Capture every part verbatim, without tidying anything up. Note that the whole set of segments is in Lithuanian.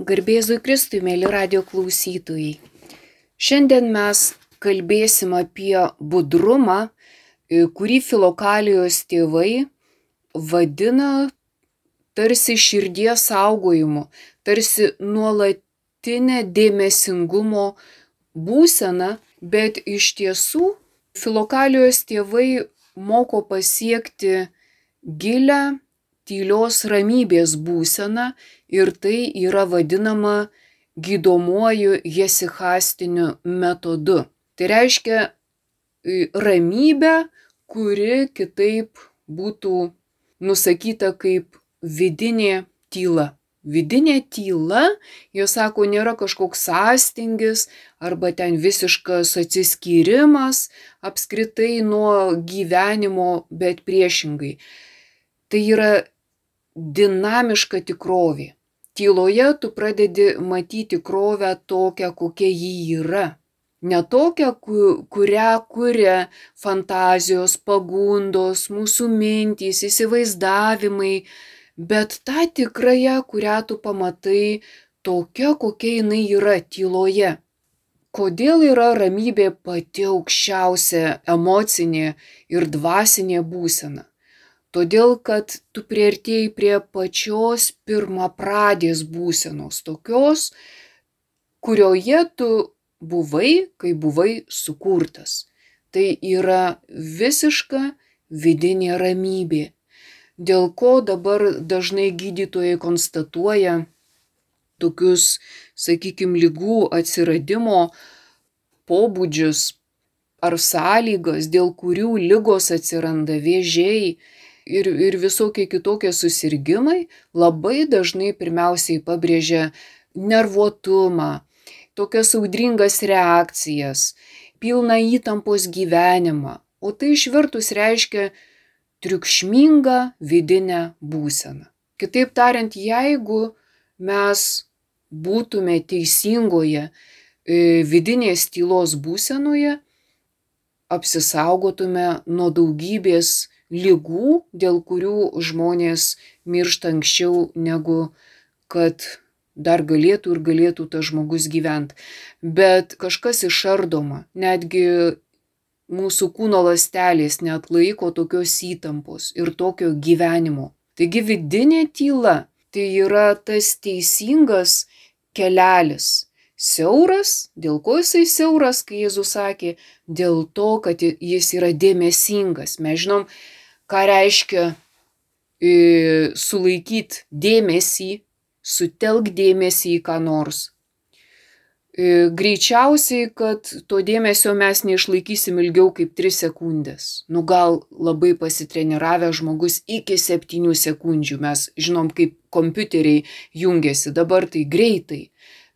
Garbėzui Kristui, mėly radio klausytojai. Šiandien mes kalbėsim apie budrumą, kurį Filokalijos tėvai vadina tarsi širdies saugojimu, tarsi nuolatinė dėmesingumo būsena, bet iš tiesų Filokalijos tėvai moko pasiekti gilią tylios ramybės būseną ir tai yra vadinama gydomuoju hesichastiniu metodu. Tai reiškia ramybę, kuri kitaip būtų nusakyta kaip vidinė tyla. Vidinė tyla, jie sako, nėra kažkoks sąstingis arba ten visiškas atsiskyrimas apskritai nuo gyvenimo, bet priešingai. Tai yra dinamiška tikrovė. Tyloje tu pradedi matyti tikrovę tokią, kokia ji yra. Ne tokią, kurią kuria fantazijos, pagundos, mūsų mintys, įsivaizdavimai, bet tą tikrąją, kurią tu pamatai tokia, kokia jinai yra tyloje. Kodėl yra ramybė pati aukščiausia emocinė ir dvasinė būsena? Todėl, kad tu priartėjai prie pačios pirmapradės būsenos, tokios, kurioje tu buvai, kai buvai sukurtas. Tai yra visiška vidinė ramybė, dėl ko dabar dažnai gydytojai konstatuoja tokius, sakykime, ligų atsiradimo pobūdžius ar sąlygas, dėl kurių ligos atsiranda, vėžiai, Ir, ir visokie kitokie susirgimai, labai dažnai pirmiausiai pabrėžia nervuotumą, tokias audringas reakcijas, pilną įtampos gyvenimą, o tai išvertus reiškia triukšmingą vidinę būseną. Kitaip tariant, jeigu mes būtume teisingoje vidinės tylos būsenoje, apsisaugotume nuo daugybės ligų, dėl kurių žmonės miršta anksčiau, negu kad dar galėtų ir galėtų tas žmogus gyventi. Bet kažkas išardoma, netgi mūsų kūno ląstelės neatlaiko tokios įtampos ir tokio gyvenimo. Taigi vidinė tyla tai yra tas teisingas kelelis. Siauras, dėl ko jisai siauras, kai Jėzus sakė, dėl to, kad jis yra dėmesingas. Mes žinom, ką reiškia e, sulaikyti dėmesį, sutelk dėmesį į ką nors. E, greičiausiai, kad to dėmesio mes neišlaikysim ilgiau kaip tris sekundės. Nu gal labai pasitreniravę žmogus iki septynių sekundžių. Mes žinom, kaip kompiuteriai jungiasi, dabar tai greitai.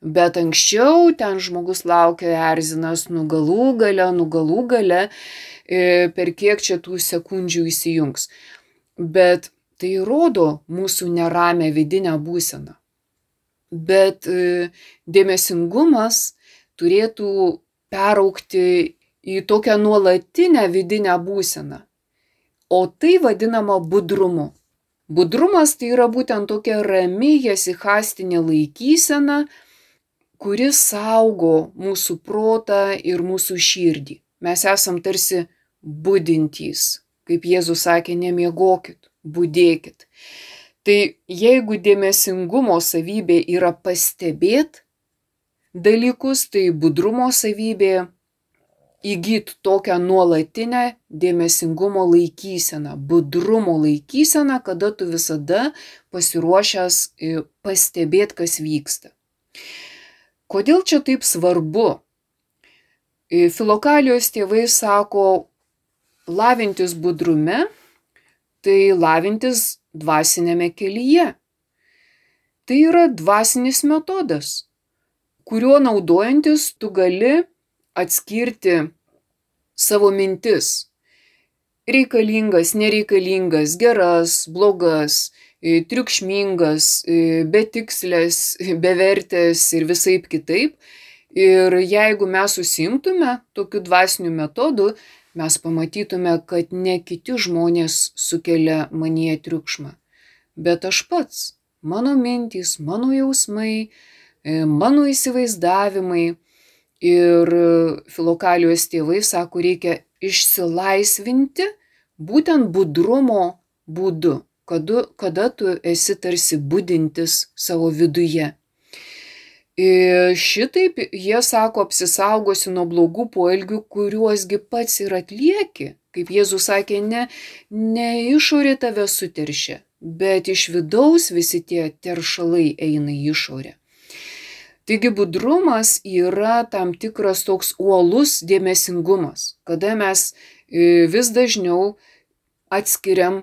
Bet anksčiau ten žmogus laukia, erzinas, nu galų gale, nu galų gale, per kiek čia tų sekundžių įsijungs. Bet tai rodo mūsų neramę vidinę būseną. Bet dėmesingumas turėtų peraugti į tokią nuolatinę vidinę būseną. O tai vadinama budrumu. Budrumas tai yra būtent tokia rami hesichastinė laikysena, kuris saugo mūsų protą ir mūsų širdį. Mes esam tarsi budintys, kaip Jėzus sakė, nemiegokit, budėkit. Tai jeigu dėmesingumo savybė yra pastebėt dalykus, tai budrumo savybė įgyt tokią nuolatinę dėmesingumo laikyseną, budrumo laikyseną, kada tu visada pasiruošęs pastebėt, kas vyksta. Kodėl čia taip svarbu? Filokalijos tėvai sako, lavintis budrume, tai lavintis dvasinėme kelyje. Tai yra dvasinis metodas, kuriuo naudojantis tu gali atskirti savo mintis. Reikalingas, nereikalingas, geras, blogas, triukšmingas, betikslės, bevertės ir visaip kitaip. Ir jeigu mes užsiimtume tokiu dvasiniu metodu, mes pamatytume, kad ne kiti žmonės sukelia manyje triukšmą, bet aš pats. mano mintys, mano jausmai, mano įsivaizdavimai. Ir Filokalijos tėvai sako, reikia išsilaisvinti būtent budrumo būdu, kada, kada tu esi tarsi budintis savo viduje. Ir šitaip jie sako, apsisaugosi nuo blogų poelgių, kuriuosgi pats ir atlieki. Kaip Jėzus sakė, ne, ne išorė tave suteršia, bet iš vidaus visi tie teršalai eina į išorę. Taigi budrumas yra tam tikras toks uolus dėmesingumas, kada mes vis dažniau atskiriam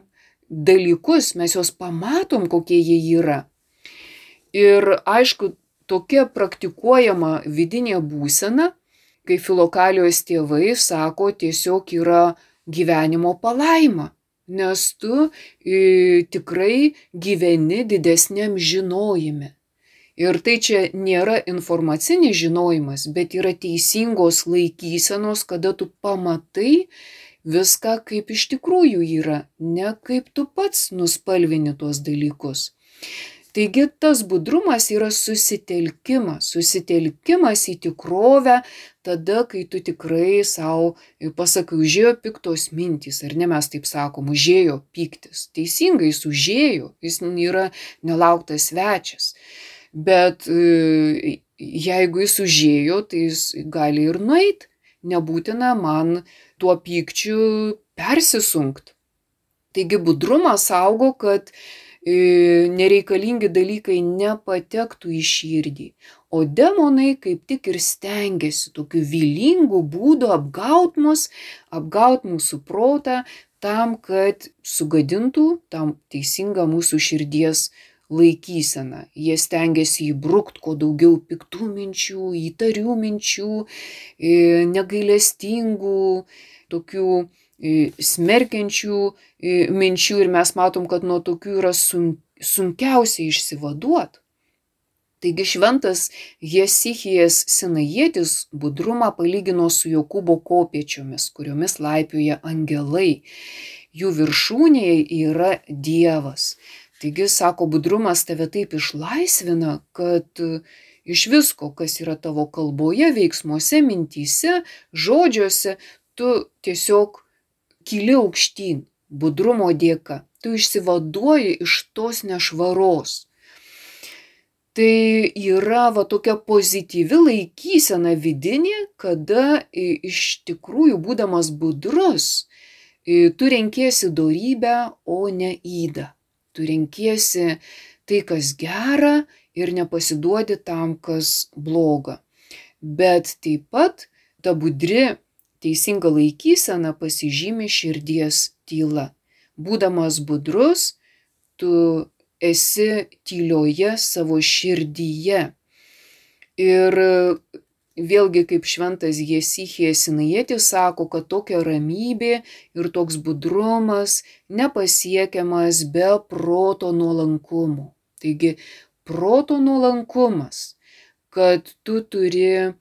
dalykus, mes juos pamatom, kokie jie yra. Ir aišku, tokia praktikuojama vidinė būsena, kai Filokalijos tėvai sako, tiesiog yra gyvenimo palaima, nes tu e, tikrai gyveni didesniam žinojime. Ir tai čia nėra informacinis žinojimas, bet yra teisingos laikysenos, kada tu pamatai viską, kaip iš tikrųjų yra, ne kaip tu pats nuspalvini tuos dalykus. Taigi tas budrumas yra susitelkimas, susitelkimas į tikrovę tada, kai tu tikrai savo pasakai, užėjo piktos mintys, ar ne, mes taip sakom, užėjo pyktis. Teisingai, jis užėjo, jis yra nelauktas svečias. Bet jeigu jis užėjo, tai jis gali ir nueit. Nebūtina man tuo pykčiu persisunkt. Taigi budrumas saugo, kad nereikalingi dalykai nepatektų į širdį. O demonai kaip tik ir stengiasi tokiu vylingu būdu apgaut mus, apgaut mūsų protą, tam, kad sugadintų tam teisingą mūsų širdies laikysena. Jie stengiasi įbrukt kuo daugiau piktų minčių, įtarių minčių, negailestingų, tokių smerkiančių minčių ir mes matom, kad nuo tokių yra sunkiausia išsivaduot. Taigi šventas Jesichijas Sinajietis budrumą palygino su Jokūbo kopėčiomis, kuriomis laipioja angelai. Jų viršūnėje yra Dievas. Taigi, sako, budrumas tave taip išlaisvina, kad iš visko, kas yra tavo kalboje, veiksmuose, mintyse, žodžiuose, tu tiesiog kyli aukštyn, budrumo dėka. Tu išsivaduoji iš tos nešvaros. Tai yra va tokia pozityvi laikysena vidinė, kada iš tikrųjų, būdamas budrus, tu renkiesi dorybę, o ne ydą. Tu renkiesi tai, kas gera ir nepasiduodi tam, kas bloga. Bet taip pat ta budri teisinga laikysena pasižymi širdies tyla. Būdamas budrus, tu esi tylioje savo širdyje. Ir vėlgi, kaip šventas Jesichijas Sinajietis sako, kad tokia ramybė ir toks budrumas nepasiekiamas be proto nuolankumo. Taigi, proto nuolankumas, kad tu turi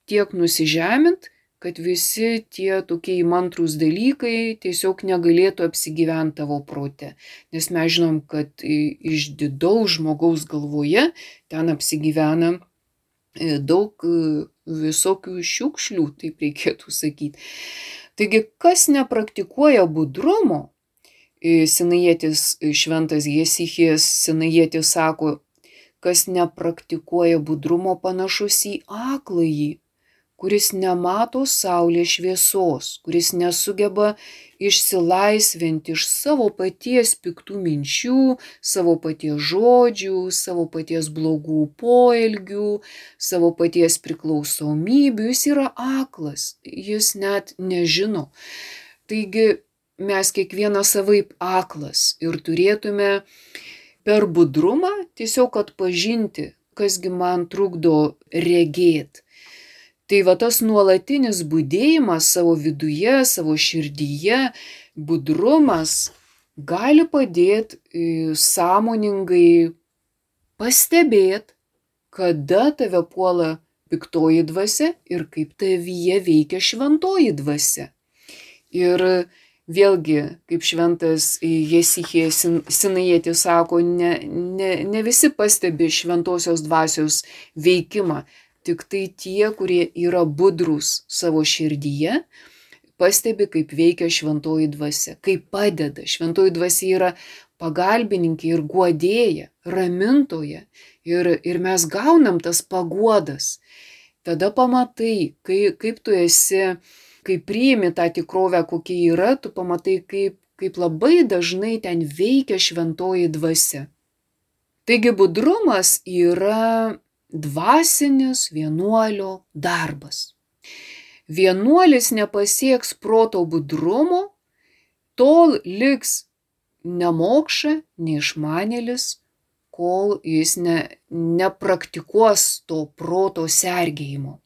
tiek nusižemint, kad visi tie tokie įmantrūs dalykai tiesiog negalėtų apsigyventi tavo prote. Nes mes žinom, kad iš didaus žmogaus galvoje ten apsigyvena daug visokių šiukšlių, taip reikėtų sakyti. Taigi, kas nepraktikuoja budrumo, Sinajietis, šventas Jesichijas Sinajietis sako, kas nepraktikuoja budrumo, panašus į akląjį, kuris nemato saulės šviesos, kuris nesugeba išsilaisvinti iš savo paties piktų minčių, savo paties žodžių, savo paties blogų poelgių, savo paties priklausomybių. Jis yra aklas, jis net nežino. Taigi mes kiekvienas savaip aklas ir turėtume per budrumą tiesiog atpažinti, kasgi man trukdo regėti. Tai va tas nuolatinis budėjimas savo viduje, savo širdyje, budrumas gali padėti sąmoningai pastebėti, kada tave puola piktoji dvasia ir kaip tavyje veikia šventoji dvasia. Ir Vėlgi, kaip šventas Jesichija Sinajietis sako, ne, ne, ne visi pastebi šventosios dvasios veikimą, tik tai tie, kurie yra budrūs savo širdyje, pastebi, kaip veikia šventoji dvasia, kaip padeda. Šventoji dvasia yra pagalbininkė ir guodėja, ramintoja ir, ir mes gaunam tas paguodas. Tada pamatai, kai, kaip tu esi, kai priimi tą tikrovę, kokia yra, tu pamatai, kaip, kaip labai dažnai ten veikia šventoji dvasia. Taigi budrumas yra dvasinis vienuolio darbas. Vienuolis nepasieks proto budrumo, tol liks nemokša, neišmanėlis, kol jis ne, nepraktikuos to proto sergėjimo.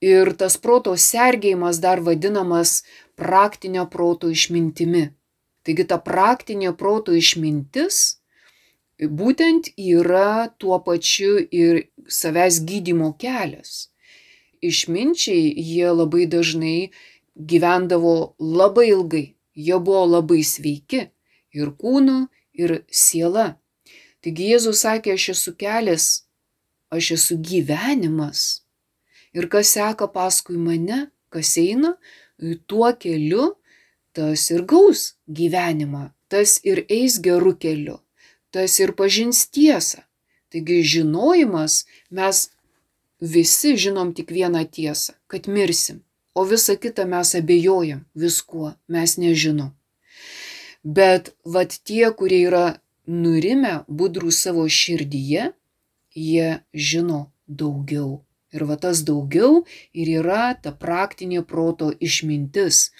Ir tas proto sergėjimas dar vadinamas praktinio proto išmintimi. Taigi ta praktinė proto išmintis būtent yra tuo pačiu ir savęs gydymo kelias. Išminčiai jie labai dažnai gyvendavo labai ilgai, jie buvo labai sveiki ir kūnu, ir siela. Taigi Jėzus sakė, aš esu kelias, aš esu gyvenimas. Ir kas seka paskui mane, kas eina tuo keliu, tas ir gaus gyvenimą, tas ir eis geru keliu, tas ir pažins tiesą. Taigi žinojimas, mes visi žinom tik vieną tiesą, kad mirsim, o visą kitą mes abejojam viskuo, mes nežinom. Bet vat tie, kurie yra nurimę, budrų savo širdyje, jie žino daugiau. Ir va tas daugiau ir yra ta praktinė proto išmintis.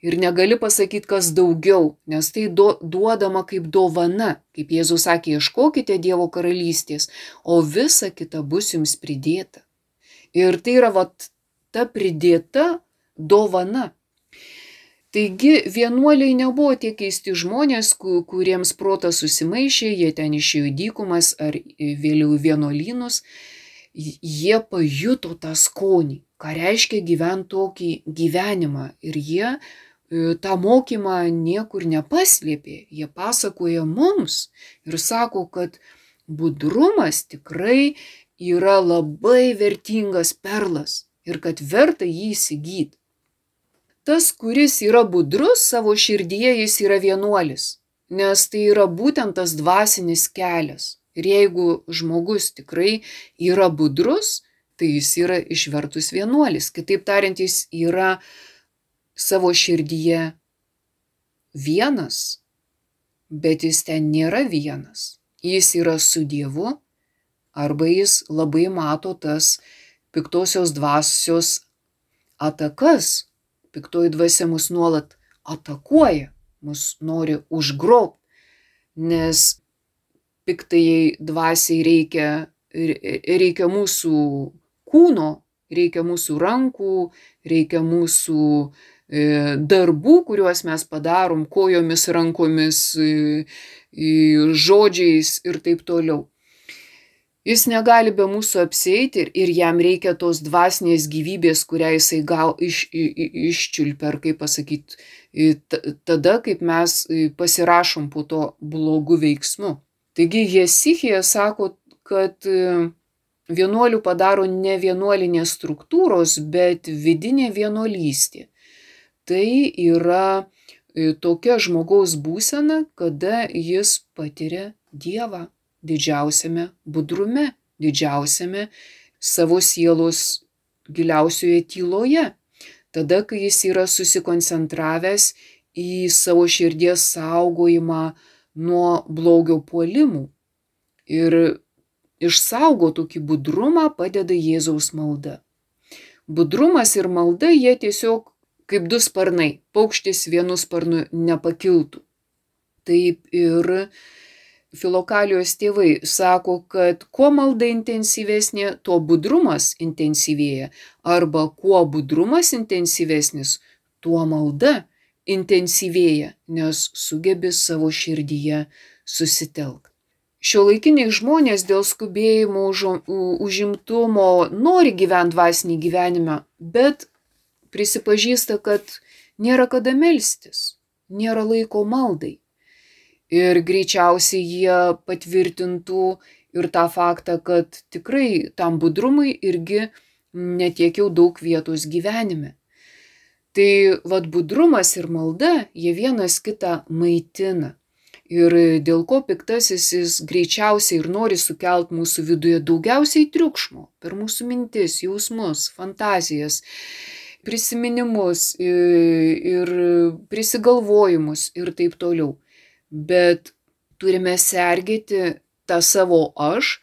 Ir negali pasakyti, kas daugiau, nes tai do, duodama kaip dovana. Kaip Jėzus sakė, ieškokite Dievo karalystės, o visa kita bus jums pridėta. Ir tai yra vat ta pridėta dovana. Taigi vienuoliai nebuvo tie keisti žmonės, kuriems protas susimaišė, jie ten išėjo į dykumas ar vėliau į vienuolynus. Jie pajuto tą skonį, ką reiškia gyventi tokį gyvenimą. Ir jie tą mokymą niekur nepaslėpė. Jie pasakoja mums ir sako, kad budrumas tikrai yra labai vertingas perlas ir kad verta jį įsigyti. Tas, kuris yra budrus savo širdyje, jis yra vienuolis, nes tai yra būtent tas dvasinis kelias. Ir jeigu žmogus tikrai yra budrus, tai jis yra išvertus vienuolis. Kitaip tariant, jis yra savo širdyje vienas, bet jis ten nėra vienas. Jis yra su Dievu, arba jis labai mato tas piktosios dvasios atakas. Piktoji dvasia mus nuolat atakuoja, mus nori užgrobti, nes piktajai dvasiai reikia, reikia mūsų kūno, reikia mūsų rankų, reikia mūsų darbų, kuriuos mes padarom kojomis, rankomis, žodžiais ir taip toliau. Jis negali be mūsų apsieiti ir, ir jam reikia tos dvasinės gyvybės, kurią jisai gal iš, iščiulpia, ar kaip pasakyti, tada, kaip mes pasirašom po to blogų veiksmų. Taigi Jesichija sako, kad vienuolių padaro ne vienuolinės struktūros, bet vidinė vienuolystė. Tai yra tokia žmogaus būsena, kada jis patiria Dievą didžiausiame budrume, didžiausiame savo sielos giliausioje tyloje. Tada, kai jis yra susikoncentravęs į savo širdies saugojimą nuo blogio puolimų. Ir išsaugo tokį budrumą padeda Jėzaus malda. Budrumas ir malda, jie tiesiog kaip du sparnai, paukštis vienu sparnu nepakiltų. Taip ir Filokalijos tėvai sako, kad kuo malda intensyvesnė, tuo budrumas intensyvėja. Arba kuo budrumas intensyvesnis, tuo malda intensyvėja, nes sugebi savo širdyje susitelkti. Šiuolaikiniai žmonės dėl skubėjimo, užimtumo nori gyventi dvasinį gyvenimą, bet prisipažįsta, kad nėra kada melstis. nėra laiko maldai. Ir greičiausiai jie patvirtintų ir tą faktą, kad tikrai tam budrumui irgi netiek jau daug vietos gyvenime. Tai vat budrumas ir malda, jie vienas kitą maitina. Ir dėl ko piktasis jis greičiausiai ir nori sukelt mūsų viduje daugiausiai triukšmo per mūsų mintis, jausmus, fantazijas, prisiminimus ir prisigalvojimus ir taip toliau. Bet turime sergėti tą savo aš,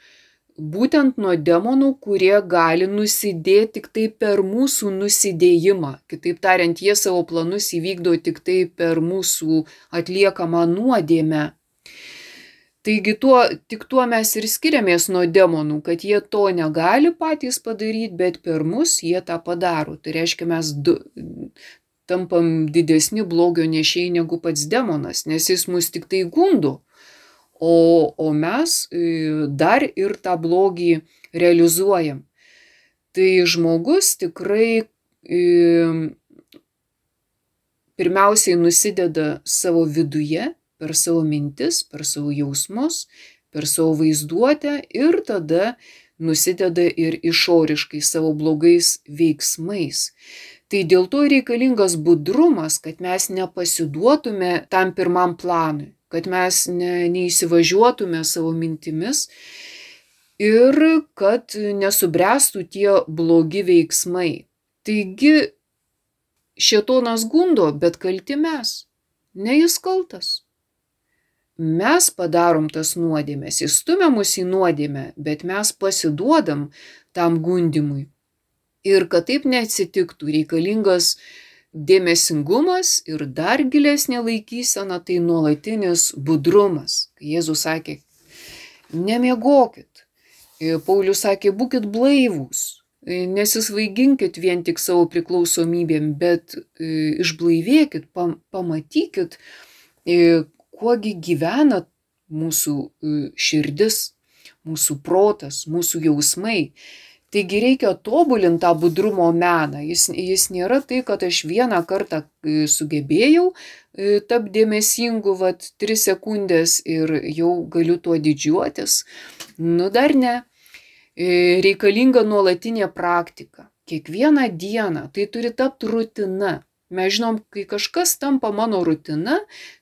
būtent nuo demonų, kurie gali nusidėti tik tai per mūsų nusidėjimą. Kitaip tariant, jie savo planus įvykdo tik tai per mūsų atliekamą nuodėmę. Taigi tuo, tik tuo mes ir skiriamės nuo demonų, kad jie to negali patys padaryti, bet per mus jie tą padaro. Tai reiškia, mes du, tampam didesni blogio nešėjai negu pats demonas, nes jis mus tik tai gundo. O, o mes dar ir tą blogį realizuojam. Tai žmogus tikrai e, pirmiausiai nusideda savo viduje, per savo mintis, per savo jausmus, per savo vaizduotę ir tada nusideda ir išoriškai savo blogais veiksmais. Tai dėl to reikalingas budrumas, kad mes nepasiduotume tam pirmam planui, kad mes ne, neįsivažiuotume savo mintimis ir kad nesubręstų tie blogi veiksmai. Taigi šėtonas gundo, bet kalti mes, ne jis kaltas. Mes padarom tas nuodėmes, jis stumia mus į nuodėmę, bet mes pasiduodam tam gundimui. Ir kad taip neatsitiktų, reikalingas dėmesingumas ir dar gilesnė laikysena, tai nuolatinis budrumas. Kai Jėzus sakė, nemiegokit. Paulius sakė, būkit blaivūs, nesisvaiginkit vien tik savo priklausomybėm, bet išblaivėkit, pamatykit, kuogi gyvena mūsų širdis, mūsų protas, mūsų jausmai. Taigi reikia tobulinti tą budrumo meną. Jis, jis nėra tai, kad aš vieną kartą sugebėjau tapti dėmesingu, vat, tris sekundės ir jau galiu tuo didžiuotis. Nu dar ne. Reikalinga nuolatinė praktika. Kiekvieną dieną tai turi tapti rutina. Mes žinom, kai kažkas tampa mano rutina,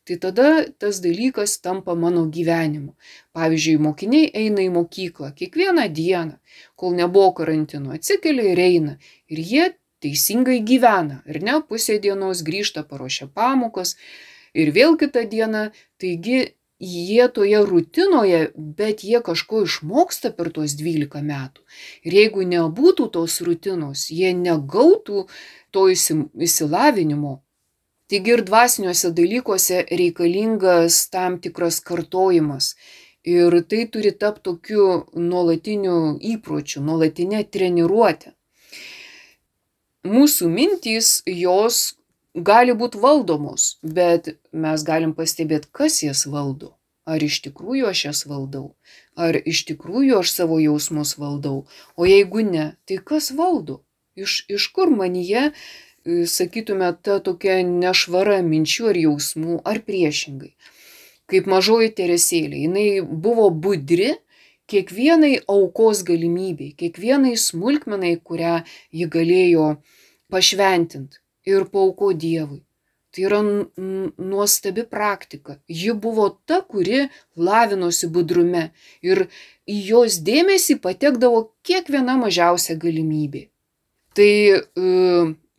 tai tada tas dalykas tampa mano gyvenimu. Pavyzdžiui, mokiniai eina į mokyklą kiekvieną dieną, kol nebuvo karantino, atsikelia ir eina. Ir jie teisingai gyvena. Ir ne, pusė dienos grįžta, paruošia pamokas ir vėl kitą dieną. Taigi jie toje rutinoje, bet jie kažko išmoksta per tuos dvylika metų. Ir jeigu nebūtų tos rutinos, jie negautų to išsilavinimo. Taigi ir dvasiniuose dalykuose reikalingas tam tikras kartojimas. Ir tai turi tapti tokiu nuolatiniu įpročiu, nuolatinė treniruotė. Mūsų mintys, jos gali būti valdomos, bet mes galim pastebėti, kas jas valdo. Ar iš tikrųjų aš jas valdau? Ar iš tikrųjų aš savo jausmus valdau? O jeigu ne, tai kas valdo? Iš, iš kur manyje, sakytume, ta tokia nešvara minčių ar jausmų, ar priešingai. Kaip mažoji Teresėlė, jinai buvo budri kiekvienai aukos galimybei, kiekvienai smulkmenai, kurią ji galėjo pašventinti ir paaukoti Dievui. Tai yra nuostabi praktika. Ji buvo ta, kuri lavinosi budrume ir į jos dėmesį patekdavo kiekviena mažiausia galimybė. Tai e,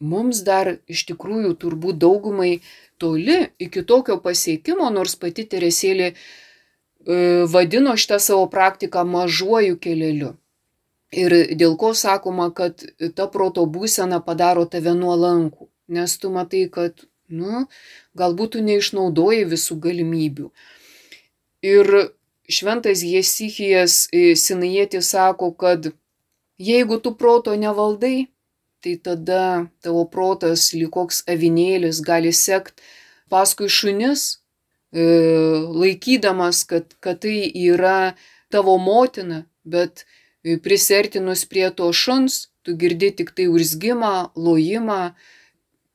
mums dar iš tikrųjų turbūt daugumai toli iki tokio pasiekimo, nors pati Teresėlė e, vadino šitą savo praktiką mažuoju keleliu. Ir dėl ko sakoma, kad ta proto būsena padaro tave nuolankų, nes tu matai, kad nu, galbūt tu neišnaudoji visų galimybių. Ir šventas Jesichijas Sinajietis sako, kad jeigu tu proto nevaldai, tai tada tavo protas lyg koks avinėlis gali sekt paskui šunis, laikydamas, kad, kad tai yra tavo motina, bet prisertinus prie to šuns, tu girdi tik tai urzgimą, lojimą,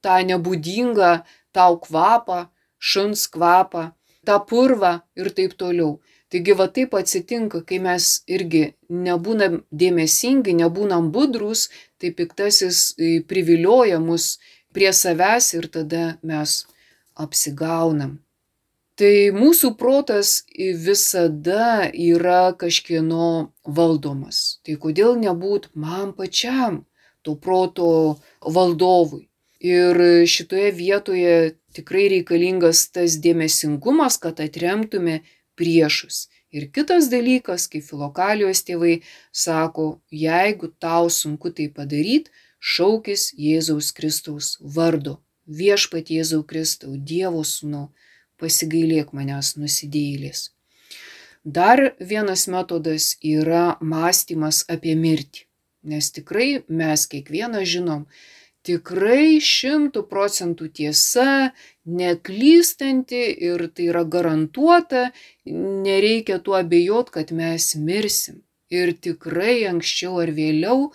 tą nebūdingą tau kvapą, šuns kvapą, tą purvą ir taip toliau. Taigi va taip atsitinka, kai mes irgi nebūnam dėmesingi, nebūnam budrus, tai piktasis privilioja mus prie savęs ir tada mes apsigaunam. Tai mūsų protas visada yra kažkieno valdomas. Tai kodėl nebūt man pačiam to proto valdovui? Ir šitoje vietoje tikrai reikalingas tas dėmesingumas, kad atremtume priešus. Ir kitas dalykas, kaip Filokalijos tėvai sako, jeigu tau sunku tai padaryti, šaukis Jėzaus Kristaus vardo. Viešpat Jėzau Kristau, Dievo sūnau, pasigailėk manęs nusidėjėlės. Dar vienas metodas yra mąstymas apie mirtį. Nes tikrai mes kiekvieną žinom, tikrai šimtų procentų tiesa, neklystanti ir tai yra garantuota, nereikia tuo abejot, kad mes mirsim. Ir tikrai anksčiau ar vėliau,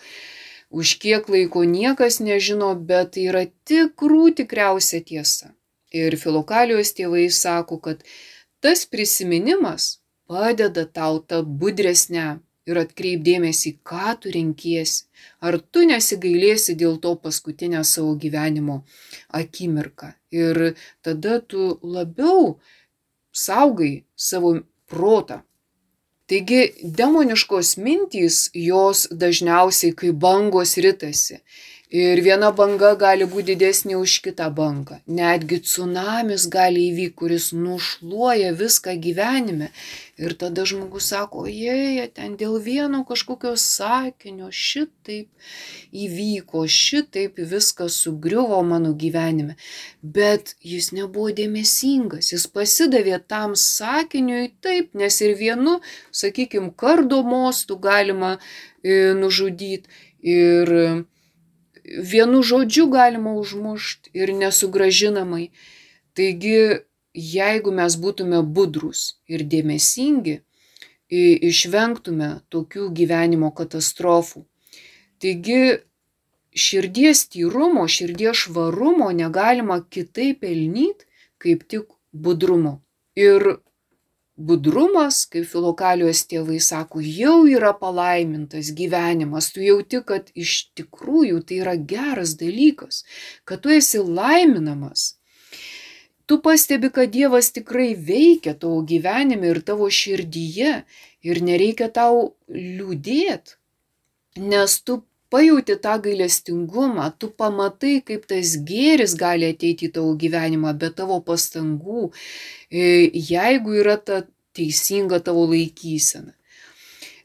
už kiek laiko niekas nežino, bet tai yra tikrų tikriausia tiesa. Ir Filokalijos tėvai sako, kad tas prisiminimas padeda tau tapti budresniam ir atkreipdėmėsi, ką tu renkiesi. Ar tu nesigailėsi dėl to paskutinę savo gyvenimo akimirką. Ir tada tu labiau saugai savo protą. Taigi demoniškos mintys, jos dažniausiai kaip bangos ritasi. Ir viena banga gali būti didesnė už kitą bangą. Netgi tsunamis gali įvykti, kuris nušluoja viską gyvenime. Ir tada žmogus sako, jei, ten dėl vieno kažkokio sakinio šitaip įvyko, šitaip viskas sugriuvo mano gyvenime. Bet jis nebuvo dėmesingas, jis pasidavė tam sakiniui taip, nes ir vienu, sakykime, kardo mostu galima e, nužudyti. Ir vienu žodžiu galima užmušti ir nesugražinamai. Taigi, jeigu mes būtume budrus ir dėmesingi, išvengtume tokių gyvenimo katastrofų. Taigi, širdies tyrumo, širdies švarumo negalima kitaip pelnyti, kaip tik budrumo. Ir budrumas, kaip Filokalijos tėvai sako, jau yra palaimintas gyvenimas. Tu jauti, kad iš tikrųjų tai yra geras dalykas, kad tu esi laiminamas. Tu pastebi, kad Dievas tikrai veikia tavo gyvenime ir tavo širdyje ir nereikia tau liūdėti, nes tu pajauti tą gailestingumą, tu pamatai, kaip tas gėris gali ateiti į tavo gyvenimą be tavo pastangų, jeigu yra ta teisinga tavo laikysena.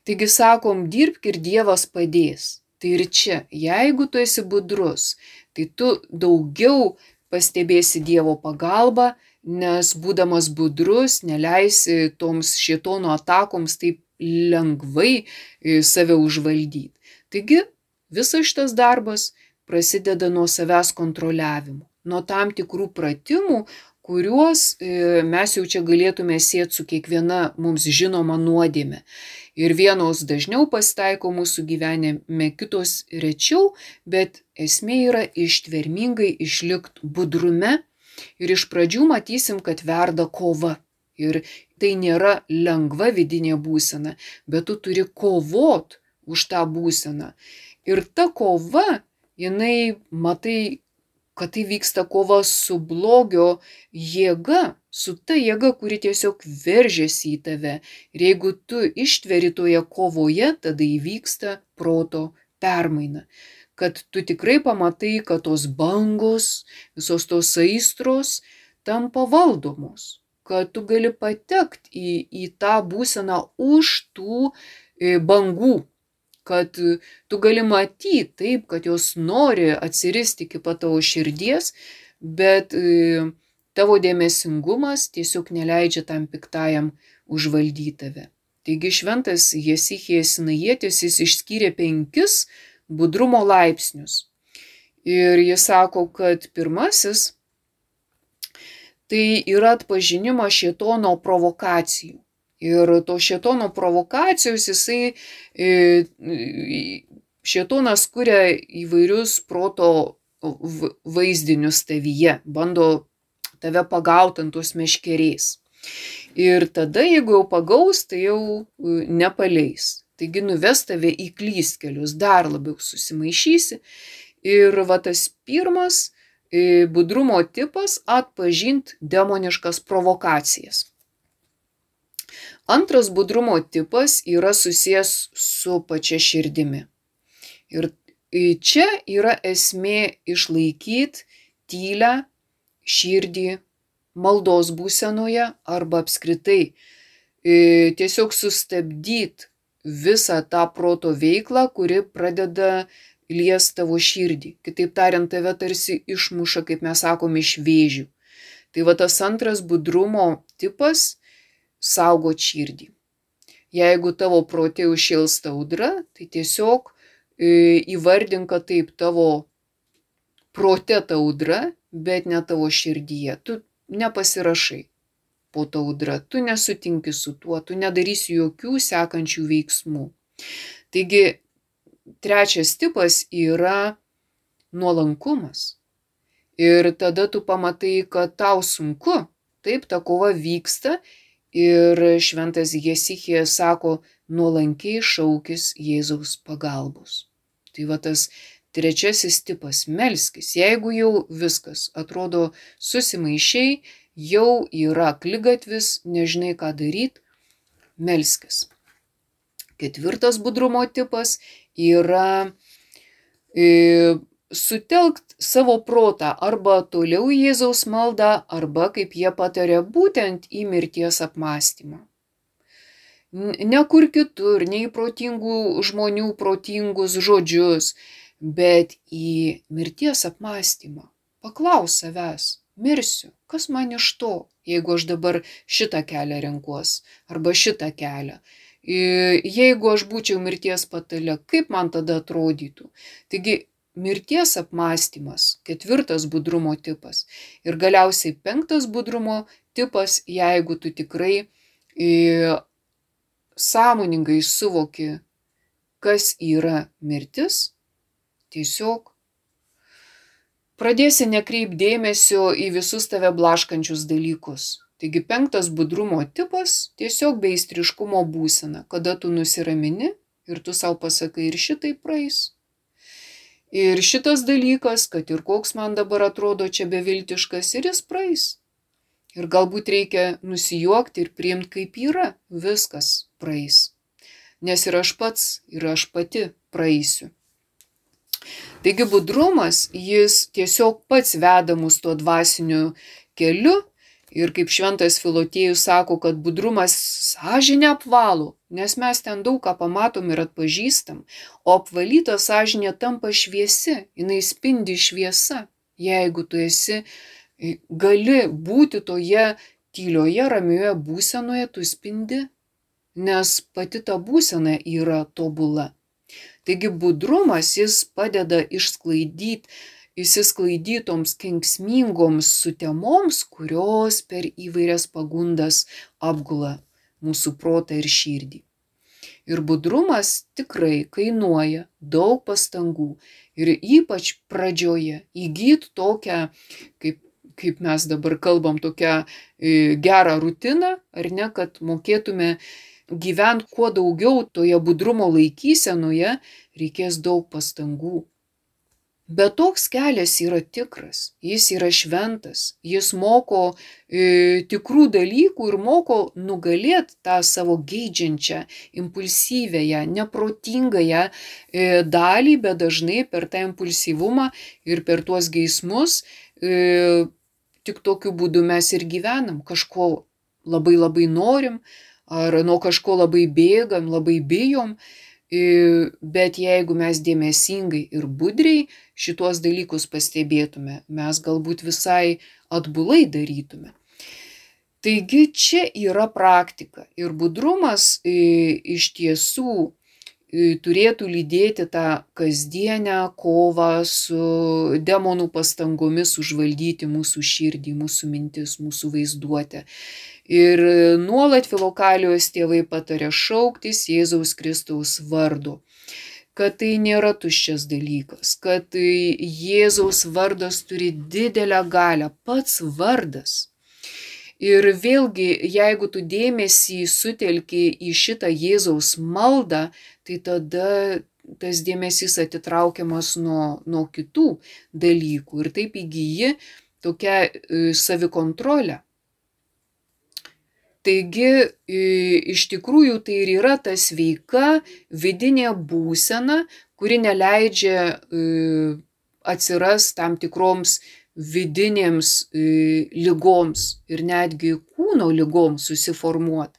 Taigi sakom, dirbk ir Dievas padės. Tai ir čia, jeigu tu esi budrus, tai tu daugiau pastebėsi Dievo pagalbą, nes būdamas budrus neleisi toms šėtono atakoms taip lengvai save užvaldyti. Taigi, visas šitas darbas prasideda nuo savęs kontroliavimo, nuo tam tikrų pratimų, kuriuos mes jau čia galėtume sieti su kiekviena mums žinoma nuodėme. Ir vienos dažniau pasitaiko mūsų gyvenime, kitos rečiau, bet esmė yra ištvermingai išlikti budrume ir iš pradžių matysim, kad verda kova. Ir tai nėra lengva vidinė būsena, bet tu turi kovot už tą būseną. Ir ta kova, jinai, matai, kad tai vyksta kova su blogio jėga, su ta jėga, kuri tiesiog veržiasi į tave. Ir jeigu tu ištveri toje kovoje, tada įvyksta proto permaina. Kad tu tikrai pamatai, kad tos bangos, visos tos aistros tampa valdomos. Kad tu gali patekti į, į tą būseną už tų e, bangų. Kad tu gali matyti taip, kad jos nori atsiristi iki pat tavo širdies, bet e, tavo dėmesingumas tiesiog neleidžia tam piktajam užvaldyti tave. Taigi šventas Jesichijas Sinajietis jis išskyrė penkis budrumo laipsnius. Ir jis sako, kad pirmasis tai yra atpažinimas šėtono provokacijų. Ir to šėtono provokacijos jisai, šėtonas kuria įvairius proto vaizdinius tavyje, bando tave pagaut ant tos meškerės. Ir tada, jeigu jau pagaus, tai jau nepaleis. Taigi nuves tave į klystkelius, dar labiau susimaišysi. Ir va tas pirmas budrumo tipas - atpažint demoniškas provokacijas. Antras budrumo tipas yra susijęs su pačia širdimi. Ir čia yra esmė išlaikyti tylią širdį maldos būsenoje arba apskritai tiesiog sustabdyti visą tą proto veiklą, kuri pradeda lies tavo širdį. Kitaip tariant, tave tarsi išmuša, kaip mes sakom, iš vėžių. Tai va tas antras budrumo tipas - saugot širdį. Jeigu tavo prote užšėlsta audra, tai tiesiog įvardink, kad taip tavo prote ta audra, bet ne tavo širdyje. Tu nepasirašai po ta audra, tu nesutinki su tuo, tu nedarysi jokių sekančių veiksmų. Taigi, trečias tipas yra nuolankumas. Ir tada tu pamatai, kad tau sunku, taip, ta kova vyksta ir šventas Jesichijas sako, nuolankiai šaukis Jėzaus pagalbos. Tai va tas trečiasis tipas - melskis. Jeigu jau viskas atrodo susimaišiai, jau yra akligatvis, nežinai ką daryti, melskis. Ketvirtas budrumo tipas yra e, sutelkt savo protą arba toliau į Jėzaus maldą, arba, kaip jie pataria, būtent į mirties apmąstymą. Ne kur kitur, ne į protingų žmonių protingus žodžius, bet į mirties apmąstymą. Paklaus savęs, mirsiu, kas man iš to, jeigu aš dabar šitą kelią renkuos, arba šitą kelią. Jeigu aš būčiau mirties patale, kaip man tada atrodytų? Taigi, mirties apmąstymas, ketvirtas budrumo tipas. Ir galiausiai penktas budrumo tipas, jeigu tu tikrai e, sąmoningai suvoki, kas yra mirtis, tiesiog pradėsi nekreipti dėmesio į visus tave blaškančius dalykus. Taigi penktas budrumo tipas - tiesiog beistriškumo būsena, kada tu nusiramini ir tu savo pasakai, ir šitai praeis. Ir šitas dalykas, kad ir koks man dabar atrodo čia beviltiškas, ir jis praeis. Ir galbūt reikia nusijuokti ir priimti kaip yra, viskas praeis. Nes ir aš pats, ir aš pati praeisiu. Taigi budrumas, jis tiesiog pats veda mus tuo dvasiniu keliu. Ir kaip šventas Filotėjus sako, kad budrumas sąžinę apvalo, nes mes ten daug ką pamatom ir atpažįstam, o apvalyta sąžinė tampa šviesi, jinai spindi šviesa. Jeigu tu esi, gali būti toje tylioje, ramioje būsenoje, tu spindi, nes pati ta būsena yra tobula. Taigi budrumas, jis padeda išsklaidyti įsisklaidytoms kenksmingoms sutemoms, kurios per įvairias pagundas apgula mūsų protą ir širdį. Ir budrumas tikrai kainuoja daug pastangų ir ypač pradžioje įgyti tokią, kaip, kaip mes dabar kalbam, tokią e, gerą rutiną, ar ne, kad mokėtume gyventi kuo daugiau toje budrumo laikysenoje, reikės daug pastangų. Bet toks kelias yra tikras, jis yra šventas, jis moko e, tikrų dalykų ir moko nugalėti tą savo geidžiančią, impulsyvėją, neprotingąją e, dalį, bet dažnai per tą impulsyvumą ir per tuos geismus e, tik tokiu būdu mes ir gyvenam, kažko labai labai norim, ar nuo kažko labai bėgam, labai bijom. Bet jeigu mes dėmesingai ir budriai šituos dalykus pastebėtume, mes galbūt visai atbulai darytume. Taigi čia yra praktika ir budrumas iš tiesų turėtų lydėti tą kasdienę kovą su demonų pastangomis užvaldyti mūsų širdį, mūsų mintis, mūsų vaizduotę. Ir nuolat Filokalijos tėvai pataria šauktis Jėzaus Kristaus vardu, kad tai nėra tuščias dalykas, kad Jėzaus vardas turi didelę galią, pats vardas. Ir vėlgi, jeigu tu dėmesį sutelki į šitą Jėzaus maldą, tai tada tas dėmesys atitraukiamas nuo, nuo kitų dalykų ir taip įgyji tokią savikontrolę. Taigi, iš tikrųjų, tai ir yra ta sveika vidinė būsena, kuri neleidžia atsiras tam tikroms vidinėms ligoms ir netgi kūno ligoms susiformuoti.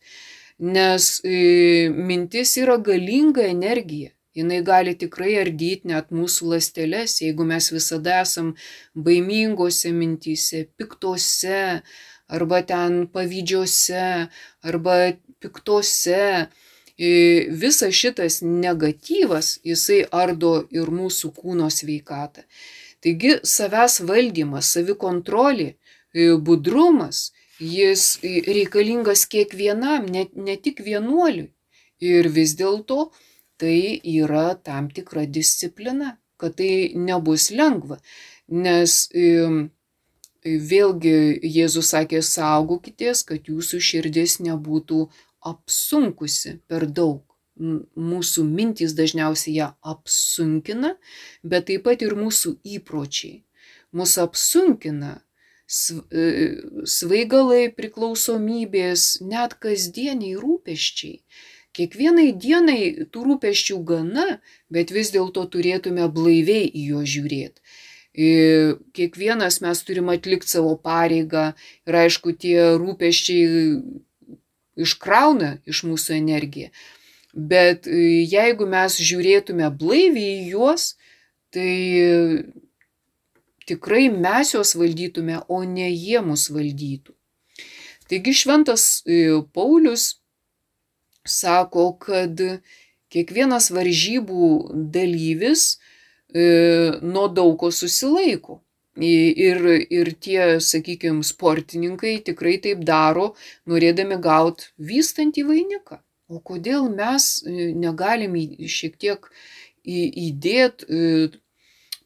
Nes mintis yra galinga energija. Jinai gali tikrai ardyti net mūsų ląsteles, jeigu mes visada esam baimingose mintyse, piktose, arba ten pavydžiose, arba piktose. Visas šitas negatyvas, jisai ardo ir mūsų kūno sveikatą. Taigi savęs valdymas, savikontrolė, budrumas, jis reikalingas kiekvienam, ne, ne tik vienuoliui. Ir vis dėlto tai yra tam tikra disciplina, kad tai nebus lengva. Nes vėlgi Jėzus sakė, saugokitės, kad jūsų širdis nebūtų apsunkusi per daug. Mūsų mintys dažniausiai ją apsunkina, bet taip pat ir mūsų įpročiai. Mūsų apsunkina svaigalai, priklausomybės, net kasdieniai rūpesčiai. Kiekvienai dienai tų rūpesčių gana, bet vis dėlto turėtume blaiviai į juos žiūrėti. Kiekvienas mes turim atlikti savo pareigą ir aišku, tie rūpesčiai iškrauna iš mūsų energiją. Bet jeigu mes žiūrėtume blaiviai į juos, tai tikrai mes juos valdytume, o ne jie mus valdytų. Taigi šventas Paulius sako, kad kiekvienas varžybų dalyvis nuo daug ko susilaiko. Ir, ir tie, sakykime, sportininkai tikrai taip daro, norėdami gauti vystantį vainiką. O kodėl mes negalim šiek tiek įdėti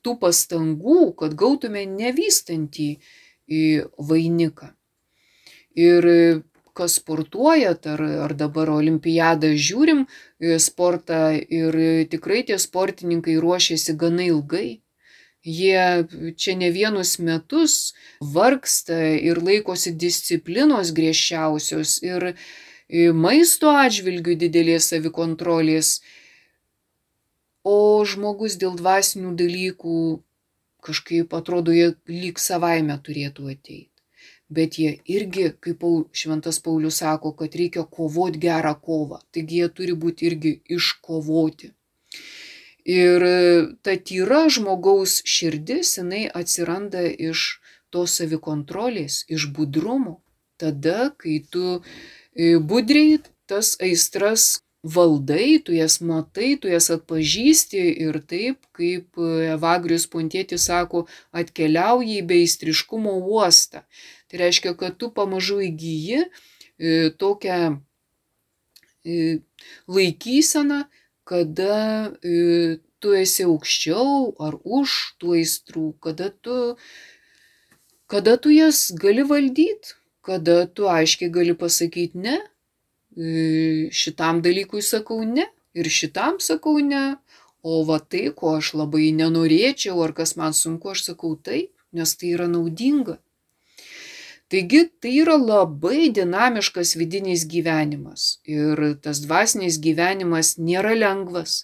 tų pastangų, kad gautume nevystantį vainiką? Ir kas sportuojat, ar, ar dabar olimpiadą žiūrim sportą, ir tikrai tie sportininkai ruošiasi gana ilgai. Jie čia ne vienus metus vargsta ir laikosi disciplinos griežčiausios ir maisto atžvilgių didelės savikontrolės, o žmogus dėl dvasinių dalykų kažkaip atrodo, jie lyg savaime turėtų ateiti. Bet jie irgi, kaip šventas Paulius sako, kad reikia kovoti gerą kovą, taigi jie turi būti irgi iškovoti. Ir ta tyra žmogaus širdis, jinai atsiranda iš tos savikontrolės, iš budrumo. Tada, kai tu budriai tas aistras valdai, tu jas matai, tu jas atpažįsti ir taip, kaip Evagrius Pontietis sako, atkeliauji į beaistriškumo uostą. Tai reiškia, kad tu pamažu įgyji tokią laikyseną, kada tu esi aukščiau ar už tų aistrų, kada tu, kada tu jas gali valdyti, kada tu aiškiai gali pasakyti ne, šitam dalykui sakau ne ir šitam sakau ne, o va tai, ko aš labai nenorėčiau ar kas man sunku, aš sakau taip, nes tai yra naudinga. Taigi tai yra labai dinamiškas vidinis gyvenimas ir tas dvasinis gyvenimas nėra lengvas,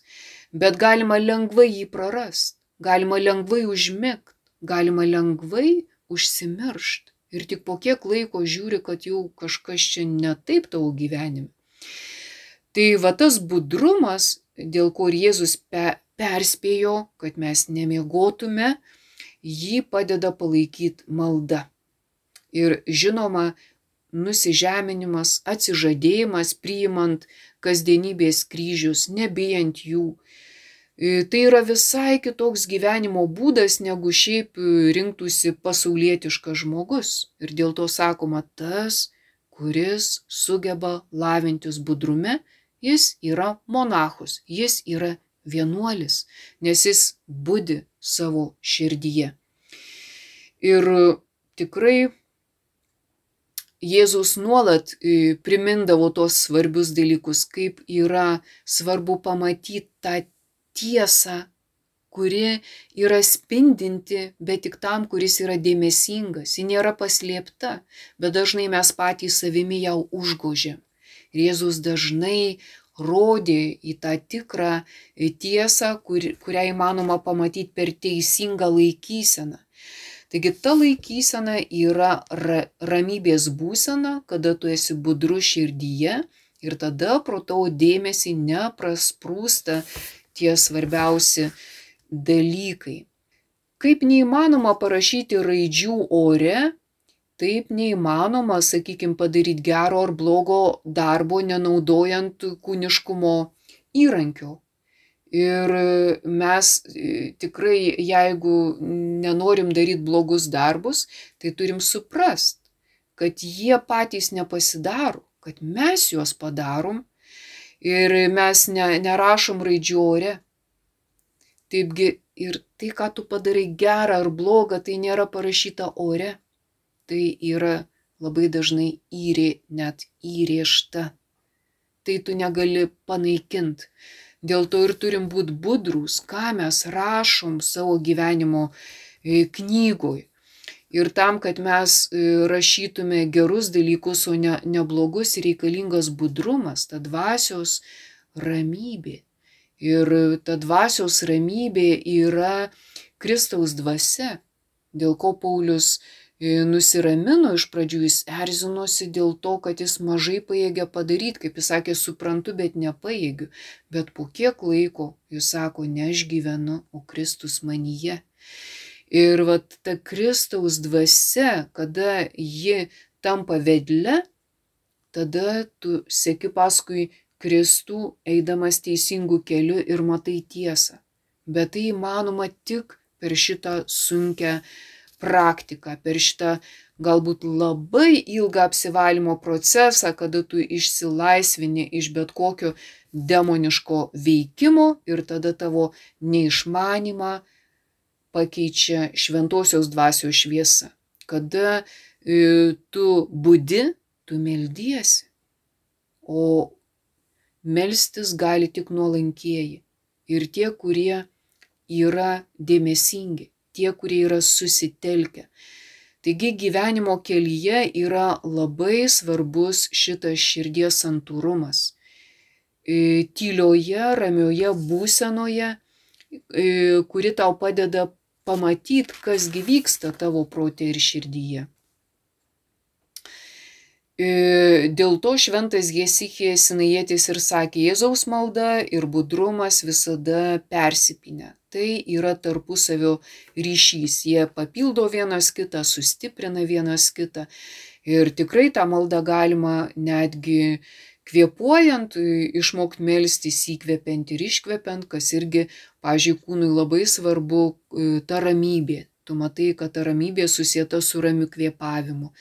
bet galima lengvai jį prarast, galima lengvai užmigt, galima lengvai užsimiršt. Ir tik po kiek laiko žiūri, kad jau kažkas čia ne taip tavo gyvenime. Tai va tas budrumas, dėl ko Jėzus pe, perspėjo, kad mes nemiegotume, jį padeda palaikyti malda. Ir žinoma, nusižeminimas, atsižadėjimas, priimant kasdienybės kryžius, nebijant jų. Tai yra visai kitoks gyvenimo būdas, negu šiaip rinktųsi pasaulietiškas žmogus. Ir dėl to sakoma, tas, kuris sugeba lavintis budrume, jis yra monachus, jis yra vienuolis, nes jis budi savo širdyje. Ir tikrai Jėzus nuolat primindavo tos svarbius dalykus, kaip yra svarbu pamatyti tą tiesą, kuri yra spindinti, bet tik tam, kuris yra dėmesingas. Ji nėra paslėpta, bet dažnai mes patys savimi ją užgožiam. Ir Jėzus dažnai rodė į tą tikrą tiesą, kur, kurią įmanoma pamatyti per teisingą laikyseną. Taigi ta laikysena yra ra, ramybės būsena, kada tu esi budrus širdyje ir tada pro tavo dėmesį neprasprūsta tie svarbiausi dalykai. Kaip neįmanoma parašyti raidžių ore, taip neįmanoma, sakykime, padaryti gero ar blogo darbo, nenaudojant kūniškumo įrankio. Ir mes tikrai, jeigu nenorim daryti blogus darbus, tai turim suprast, kad jie patys nepasidaro, kad mes juos padarom ir mes ne, nerašom raidžių ore. Taipgi ir tai, ką tu padarai gerą ar blogą, tai nėra parašyta ore. Tai yra labai dažnai įrė, net įrėžta. Tai tu negali panaikinti. Dėl to ir turim būti budrūs, ką mes rašom savo gyvenimo knygoj. Ir tam, kad mes rašytume gerus dalykus, o ne, ne blogus, reikalingas budrumas, ta dvasios ramybė. Ir ta dvasios ramybė yra Kristaus dvasia, dėl ko Paulius nusiramino iš pradžių, jis erzinosi dėl to, kad jis mažai pajėgia padaryti, kaip jis sakė, suprantu, bet nepajėgiu. Bet po kiek laiko jis sako, ne aš gyvenu, o Kristus manyje. Ir vat ta Kristaus dvasia, kada ji tampa vedle, tada tu seki paskui Kristų, eidamas teisingų kelių ir matai tiesą. Bet tai įmanoma tik per šitą sunkią praktiką, per šitą galbūt labai ilgą apsivalymo procesą, kada tu išsilaisvini iš bet kokio demoniško veikimo ir tada tavo neišmanymą pakeičia šventosios dvasios šviesa. Kada e, tu budi, tu meldiesi, o melstis gali tik nuolankieji ir tie, kurie yra dėmesingi, tie, kurie yra susitelkę. Taigi gyvenimo kelyje yra labai svarbus šitas širdies santūrumas. Tylioje, ramioje būsenoje, kuri tau padeda pamatyti, kas gi vyksta tavo prote ir širdyje. Dėl to šventas Hesichijas Sinajietis ir sakė, Jėzaus malda ir budrumas visada persipynę. Tai yra tarpusavio ryšys. Jie papildo vienas kitą, sustiprina vienas kitą. Ir tikrai tą maldą galima netgi kvėpuojant, išmokti melstis įkvepiant ir iškvepiant, kas irgi, pavyzdžiui, kūnui labai svarbu ta ramybė. Tu matai, kad ta ramybė susieta su ramiu kvėpavimu.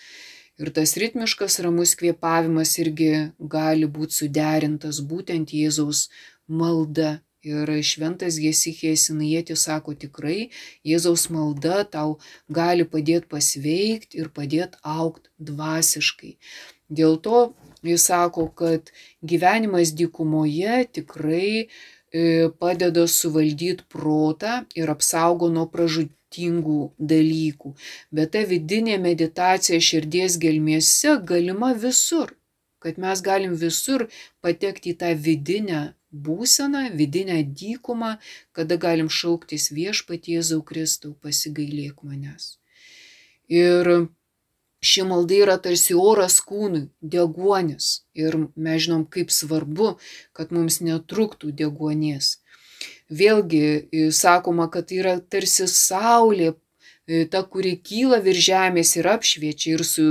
Ir tas ritmiškas ramus kvėpavimas irgi gali būti suderintas būtent Jėzaus malda. Ir šventas Hesichijas Sinajietis sako, tikrai Jėzaus malda tau gali padėti pasveikti ir padėti augti dvasiškai. Dėl to jis sako, kad gyvenimas dykumoje tikrai padeda suvaldyti protą ir apsaugo nuo pražūtingų dalykų. Bet ta vidinė meditacija širdies gelmėse galima visur, kad mes galim visur patekti į tą vidinę būseną, vidinę dykumą, kada galim šauktis Viešpatie Jėzau Kristau, pasigailėk manęs. Ir ši malda yra tarsi oras kūnui, deguonis. Ir mes žinom, kaip svarbu, kad mums netrūktų deguonies. Vėlgi sakoma, kad tai yra tarsi saulė, ta, kuri kyla virš žemės ir apšviečia ir su,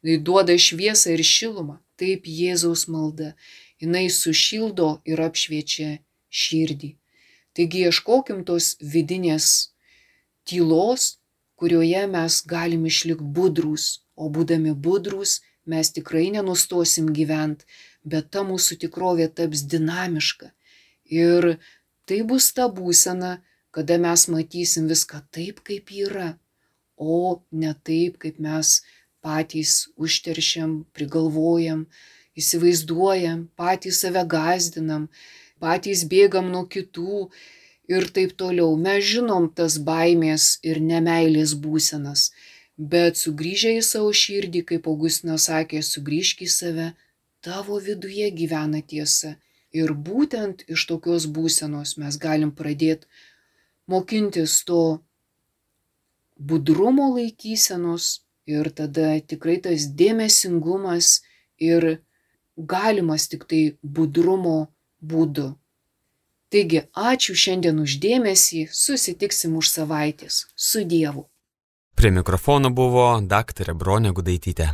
duoda šviesą ir šilumą. Taip Jėzaus malda. Jinai sušildo ir apšviečia širdį. Taigi ieškokim tos vidinės tylos, kurioje mes galim išlikti budrūs, o būdami budrūs mes tikrai nenustosim gyventi, bet ta mūsų tikrovė taps dinamiška. Ir Tai bus ta būsena, kada mes matysim viską taip, kaip yra, o ne taip, kaip mes patys užteršiam, prigalvojam, įsivaizduojam, patys save gąsdinam, patys bėgam nuo kitų ir taip toliau. Mes žinom tas baimės ir nemeilės būsenas, bet sugrįžę į savo širdį, kaip Augustinas sakė, sugrįžk į save, tavo viduje gyvena tiesa. Ir būtent iš tokios būsenos mes galim pradėti mokintis to budrumo laikysenos ir tada tikrai tas dėmesingumas ir galimas tik tai budrumo būdu. Taigi, ačiū šiandien už dėmesį, susitiksim už savaitės. Su Dievu. Prie mikrofono buvo daktarė Bronė Gudaitytė.